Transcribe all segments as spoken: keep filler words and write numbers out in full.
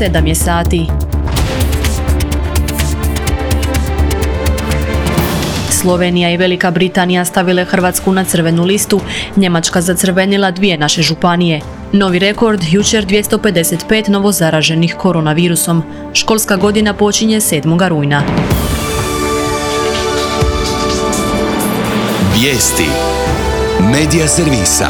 sedam je sati. Slovenija i Velika Britanija stavile Hrvatsku na crvenu listu, Njemačka zacrvenila dvije naše županije. Novi rekord, jučer dvjesto pedeset pet novozaraženih koronavirusom. Školska godina počinje sedmog rujna. Vijesti Medija servisa.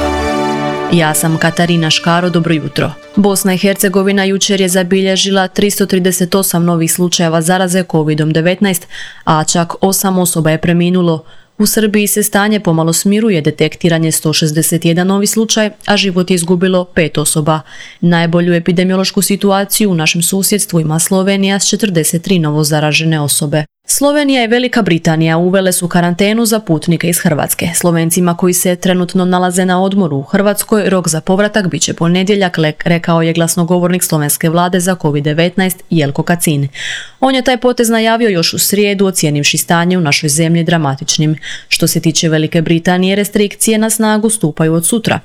Ja sam Katarina Škaro, dobro jutro. Bosna i Hercegovina jučer je zabilježila tristo trideset osam novih slučajeva zaraze kovid devetnaest, a čak osam osoba je preminulo. U Srbiji se stanje pomalo smiruje, detektiran je sto šezdeset jedan novi slučaj, a život je izgubilo pet osoba. Najbolju epidemiološku situaciju u našem susjedstvu ima Slovenija s četrdeset tri novozaražene osobe. Slovenija i Velika Britanija uvele su karantenu za putnike iz Hrvatske. Slovencima koji se trenutno nalaze na odmoru u Hrvatskoj rok za povratak bit će ponedjeljak, rekao je glasnogovornik slovenske vlade za kovid devetnaest Jelko Kacin. On je taj potez najavio još u srijedu, ocijenivši stanje u našoj zemlji dramatičnim. Što se tiče Velike Britanije, restrikcije na snagu stupaju od sutra.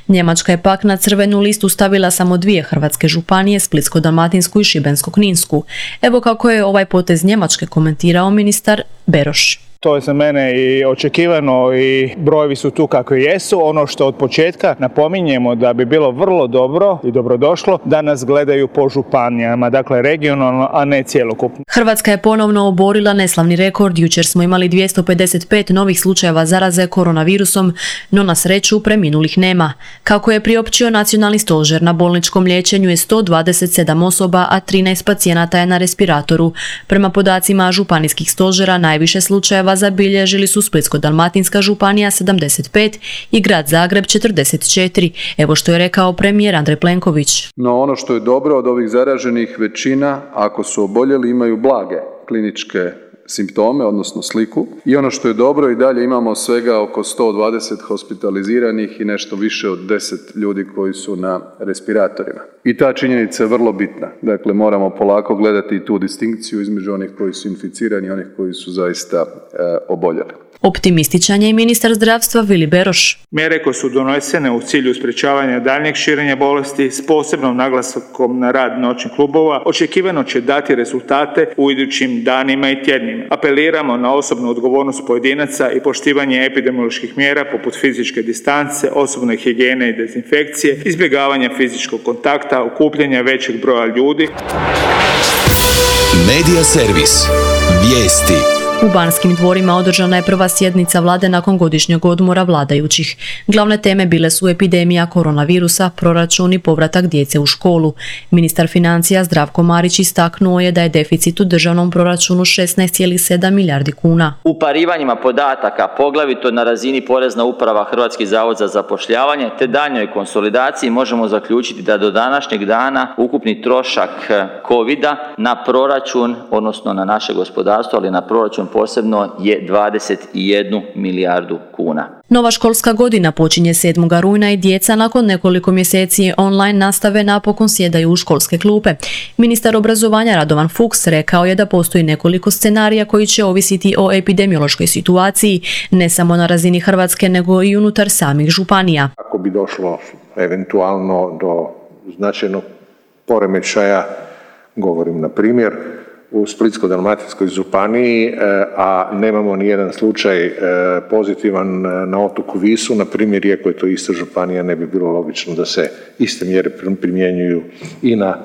Njemačka je pak na crvenu listu stavila samo dvije hrvatske županije, Splitsko-dalmatinsku i Šibensko-kninsku. Evo kako je ovaj potez Njemačke komentirao ministar Beroš. To je za mene i očekivano i brojevi su tu kakvi jesu. Ono što od početka napominjemo da bi bilo vrlo dobro i dobrodošlo da nas gledaju po županijama, dakle regionalno, a ne cjelokupno. Hrvatska je ponovno oborila neslavni rekord. Jučer smo imali dvjesto pedeset pet novih slučajeva zaraze koronavirusom, no na sreću preminulih nema. Kako je priopćio Nacionalni stožer, na bolničkom liječenju je sto dvadeset sedam osoba, a trinaest pacijenata je na respiratoru. Prema podacima županijskih stožera, najviše slučajeva zabilježili su Splitsko-dalmatinska županija sedamdeset pet i grad Zagreb četrdeset četiri. Evo što je rekao premijer Andrej Plenković. No ono što je dobro od ovih zaraženih, većina, ako su oboljeli, imaju blage kliničke simptome, odnosno sliku. I ono što je dobro, i dalje imamo svega oko sto dvadeset hospitaliziranih i nešto više od deset ljudi koji su na respiratorima. I ta činjenica je vrlo bitna. Dakle, moramo polako gledati i tu distinkciju između onih koji su inficirani i onih koji su zaista e, oboljeli. Optimističan je i ministar zdravstva Vili Beroš. Mjere koje su donesene u cilju sprječavanja daljnjeg širenja bolesti s posebnom naglaskom na rad noćnih klubova očekivano će dati rezultate u idućim danima i tjednima. Apeliramo na osobnu odgovornost pojedinaca i poštivanje epidemioloških mjera poput fizičke distance, osobne higijene i dezinfekcije, izbjegavanja fizičkog kontakta, okupljanja većeg broja ljudi. Medija servis. Vijesti. U Banskim dvorima održana je prva sjednica vlade nakon godišnjeg odmora vladajućih. Glavne teme bile su epidemija koronavirusa, proračun i povratak djece u školu. Ministar financija Zdravko Marić istaknuo je da je deficit u državnom proračunu šesnaest zarez sedam milijardi kuna. U parivanjima podataka, poglavito na razini Porezna uprava, Hrvatski zavod za zapošljavanje te daljnjoj konsolidaciji, možemo zaključiti da do današnjeg dana ukupni trošak covida na proračun, odnosno na naše gospodarstvo, ali na proračun posebno, je dvadeset jednu milijardu kuna. Nova školska godina počinje sedmog rujna i djeca nakon nekoliko mjeseci online nastave napokon sjedaju u školske klupe. Ministar obrazovanja Radovan Fuchs rekao je da postoji nekoliko scenarija koji će ovisiti o epidemiološkoj situaciji, ne samo na razini Hrvatske nego i unutar samih županija. Ako bi došlo eventualno do značajnog poremećaja, govorim na primjer, u Splitsko-dalmatinskoj županiji, a nemamo ni jedan slučaj pozitivan na otoku Visu, na primjer, iako je to ista županija, ne bi bilo logično da se iste mjere primjenjuju i na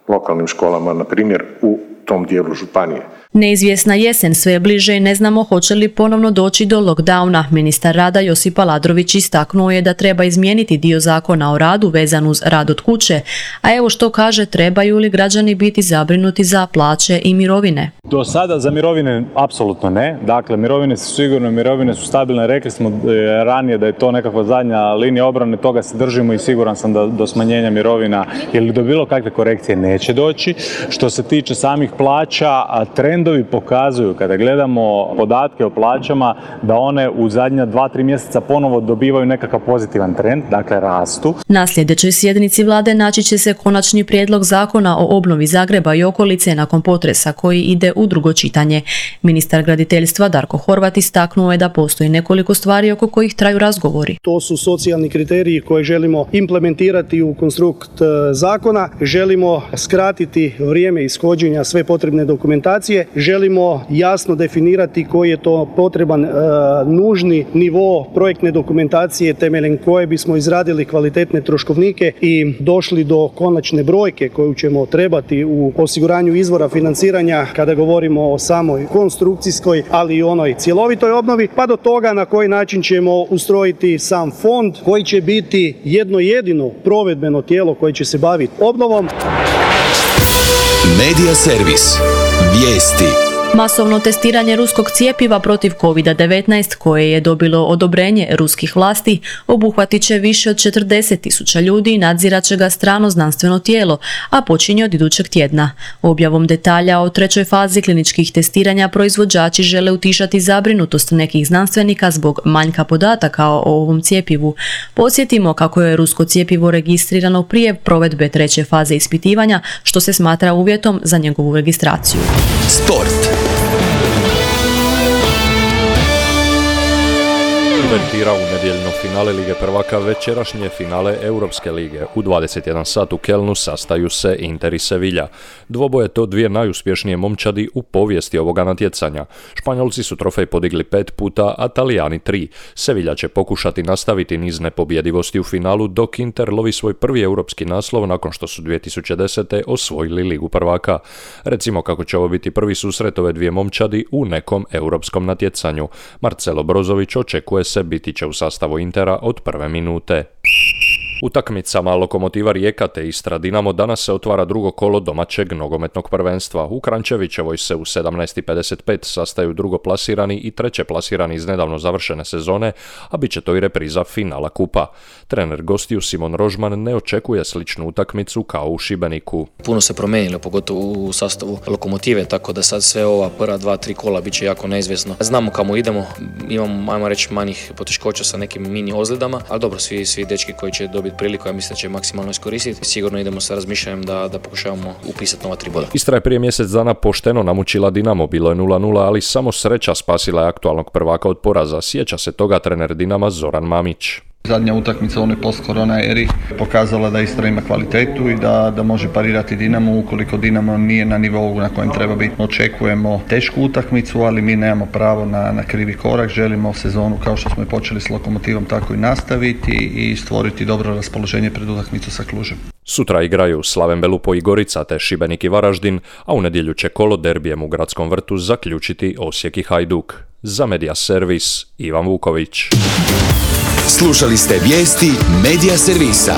lokalnim školama, na primjer u tom dijelu županije. Neizvjesna jesen sve je bliže i ne znamo hoće li ponovno doći do lockdowna. Ministar rada Josip Aladrović istaknuo je da treba izmijeniti dio zakona o radu vezan uz rad od kuće, a evo što kaže, trebaju li građani biti zabrinuti za plaće i mirovine. Do sada za mirovine apsolutno ne, dakle mirovine su sigurno, mirovine su stabilne, rekli smo ranije da je to nekakva zadnja linija obrane, toga se držimo i siguran sam da do smanjenja mirovina ili do bilo kakve korekcije neće doći. Što se tiče samih plaća, trend trendovi pokazuju, kada gledamo podatke o plaćama, da one u zadnja dva, tri mjeseca ponovo dobivaju nekakav pozitivan trend, dakle rastu. Na sljedećoj sjednici vlade naći će se konačni prijedlog zakona o obnovi Zagreba i okolice nakon potresa koji ide u drugo čitanje. Ministar graditeljstva Darko Horvat istaknuo je da postoji nekoliko stvari oko kojih traju razgovori. To su socijalni kriteriji koje želimo implementirati u konstrukt zakona. Želimo skratiti vrijeme ishođenja sve potrebne dokumentacije. Želimo jasno definirati koji je to potreban e, nužni nivo projektne dokumentacije temeljem koje bismo izradili kvalitetne troškovnike i došli do konačne brojke koju ćemo trebati u osiguranju izvora financiranja kada govorimo o samoj konstrukcijskoj, ali i onoj cjelovitoj obnovi, pa do toga na koji način ćemo ustrojiti sam fond koji će biti jedno jedino provedbeno tijelo koje će se baviti obnovom. Medija servis. Vijesti. Masovno testiranje ruskog cjepiva protiv kovid devetnaest koje je dobilo odobrenje ruskih vlasti obuhvatit će više od četrdeset tisuća ljudi i nadzirat će ga strano znanstveno tijelo, a počinje od idućeg tjedna. Objavom detalja o trećoj fazi kliničkih testiranja proizvođači žele utišati zabrinutost nekih znanstvenika zbog manjka podataka o ovom cjepivu. Podsjetimo kako je rusko cjepivo registrirano prije provedbe treće faze ispitivanja, što se smatra uvjetom za njegovu registraciju. Sport. Uvertira u nedjeljno finale Lige prvaka večerašnje finale Europske lige. U dvadeset jedan sat u Kelnu sastaju se Inter i Sevilla. Dvoboje to dvije najuspješnije momčadi u povijesti ovoga natjecanja. Španjolci su trofej podigli pet puta, a Talijani tri. Sevilla će pokušati nastaviti niz nepobjedivosti u finalu, dok Inter lovi svoj prvi europski naslov nakon što su dvije tisuće desete. osvojili Ligu prvaka. Recimo kako će ovo biti prvi susret ove dvije momčadi u nekom europskom natjecanju. Marcelo Brozović očekuje se biti će u sastavu Intera od prve minute. Utakmicama Lokomotiva Rijeka te Istra Dinamo danas se otvara drugo kolo domaćeg nogometnog prvenstva. U Krančevićevoj se u sedamnaest i pedeset pet sastaju drugoplasirani i treće plasirani iz nedavno završene sezone, a bit će to i repriza finala kupa. Trener gostiju Simon Rožman ne očekuje sličnu utakmicu kao u Šibeniku. Puno se promijenilo, pogotovo u sastavu Lokomotive, tako da sad sve ova prva dva, tri kola bit će jako neizvjesno. Znamo kamo idemo, imamo, ajmo reći, manjih poteškoća sa nekim mini ozljedama, ali dobro, svi, svi dečki koji će dobiti priliku, ja mislim da će maksimalno iskoristiti. Sigurno idemo sa razmišljanjem da, da pokušavamo upisati nova tri boda. Istra je prije mjesec dana pošteno namučila Dinamo, bilo je nula nula, ali samo sreća spasila je aktualnog prvaka od poraza. Sjeća se toga trener Dinama Zoran Mamić. Zadnja utakmica u onoj post-korona eri pokazala da Istra ima kvalitetu i da, da može parirati Dinamo ukoliko Dinamo nije na nivou na kojem treba biti. Očekujemo tešku utakmicu, ali mi nemamo pravo na, na krivi korak. Želimo sezonu kao što smo je počeli s Lokomotivom tako i nastaviti i stvoriti dobro raspoloženje pred utakmicu sa Klužem. Sutra igraju Slaven Belupo i Gorica te Šibenik i Varaždin, a u nedjelju će kolo derbijem u Gradskom vrtu zaključiti Osijek i Hajduk. Za Medija servis Ivan Vuković. Slušali ste vijesti Medija servisa.